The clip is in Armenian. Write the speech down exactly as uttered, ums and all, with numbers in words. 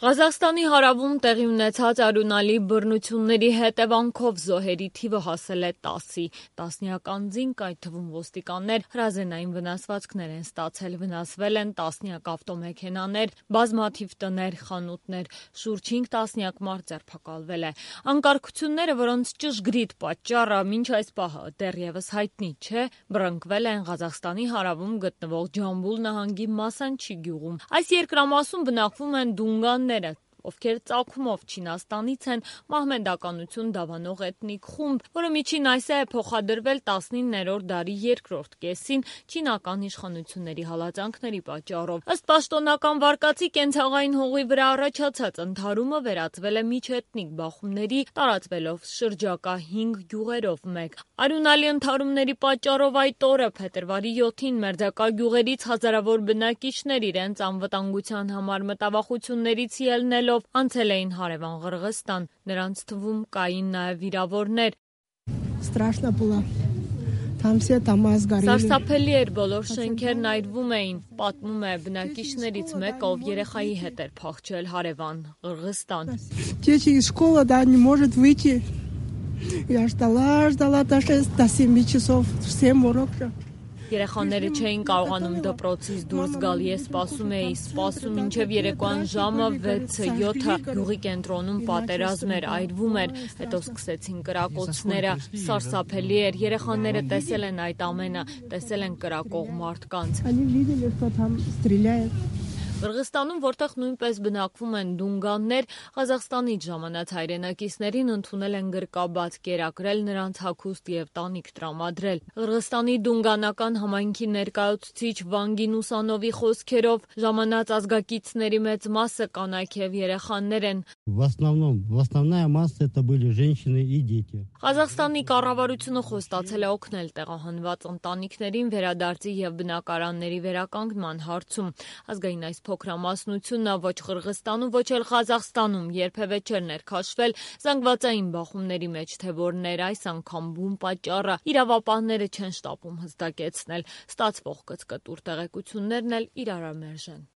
Ղազախստանի հարավում տեղի ունեցած արյունալի բռնությունների հետևանքով զոհերի թիվը հասել է տասի։ Տասնյակ անձինք, այդ թվում ոստիկաններ, հրազենային վնասվածքներ են ստացել, վնասվել են տասնյակ ավտոմեքենաներ, բազմաթիվ տներ, խանութներ, շուրջ հինգ տասնյակ մարդ ձերբակալվել է։ Անկարգությունները, որոնց ճշգրիտ պատճառը մինչ այս պահը դեռևս հայտնի չէ, բռնկվել են Ղազախստանի հարավում գտնվող Ջամբուլ նահանգի Մասանչի գյուղում։ Այս երկրամասում բնակվում են դունգանները, ովքեր ծագումով Չինաստանից են, մահմեդականություն դավանող էթնիկ խումբ, որը միջին այսը է փոխադրվել տասնիններորդ դարի երկրորդ կեսին չինական իշխանությունների հալածանքների պատճառով։ Ըստ պաշտոնական վարկածի, կենցաղային հողի վրա առաջացած ընդհարումը վերածվել է միջէթնիկ բախումների, տարածվելով շրջակա հինգ գյուղերով մեկ։ Արյունալի ընդհարումների պատճառով այդ օրը, փետրվարի յոթին, մերձակա գյուղերից հազարավոր բնակիչներ իրենց անվտանգության համար մտավախություններից ելնելով անցել էին հարևան Ղրղստան, նրանց թվում կային նաև վիրավորներ։ Սարսափելի էր, բոլոր շենքերն այրվում էին, պատմում է բնակիչներից մեկը, ով երեխայի հետ էր փախչել հարևան Ղրղստան։ Երեխաները չէին կարողանում դպրոցից դուրս գալ, ես սպասում էի, սպասում մինչև երեկոյան ժամը վեցը յոթը, գյուղի կենտրոնում պատերազմ էր, այրվում էր, հետո սկսեցին կրակոցները, սարսափելի էր, երեխաները տեսել են այդ ամենը, տեսել են կրակող մարդկանց։ Ղրղստանում, որտեղ նույնպես բնակվում են դունգաններ, Ղազախստանից ժամանած հայրենակիցներին ընդունել են գրկաբաց, կերակրել նրանց հագուստ և տանիք տրամադրել։ Ղրղստանի դունգանական համայնքի ներկայացուցիչ Վանգին Ուսանովի խոսքերով, ժամանած ազգակիցների մեծ մասը կանայք և երեխաներ են։ Ղազախստանի կառավարությունը խոստացել է օգնել տեղահանված ընտանիքներին վերադարձի և բնակարանների վերականգնման հարցում։ Ազգային այս փոքրամասնությունը ոչ Ղրղստանում, ոչ էլ Ղազախստանում երբևէ չէր ներքաշվել զանգվածային բախումների մեջ, թե որներ այս անգամ բուն պատճառը, իրավապահները չեն շտապում հստակեցնել։ Ստացվող կծկտուր տեղեկություններն էլ իրարամերժ են։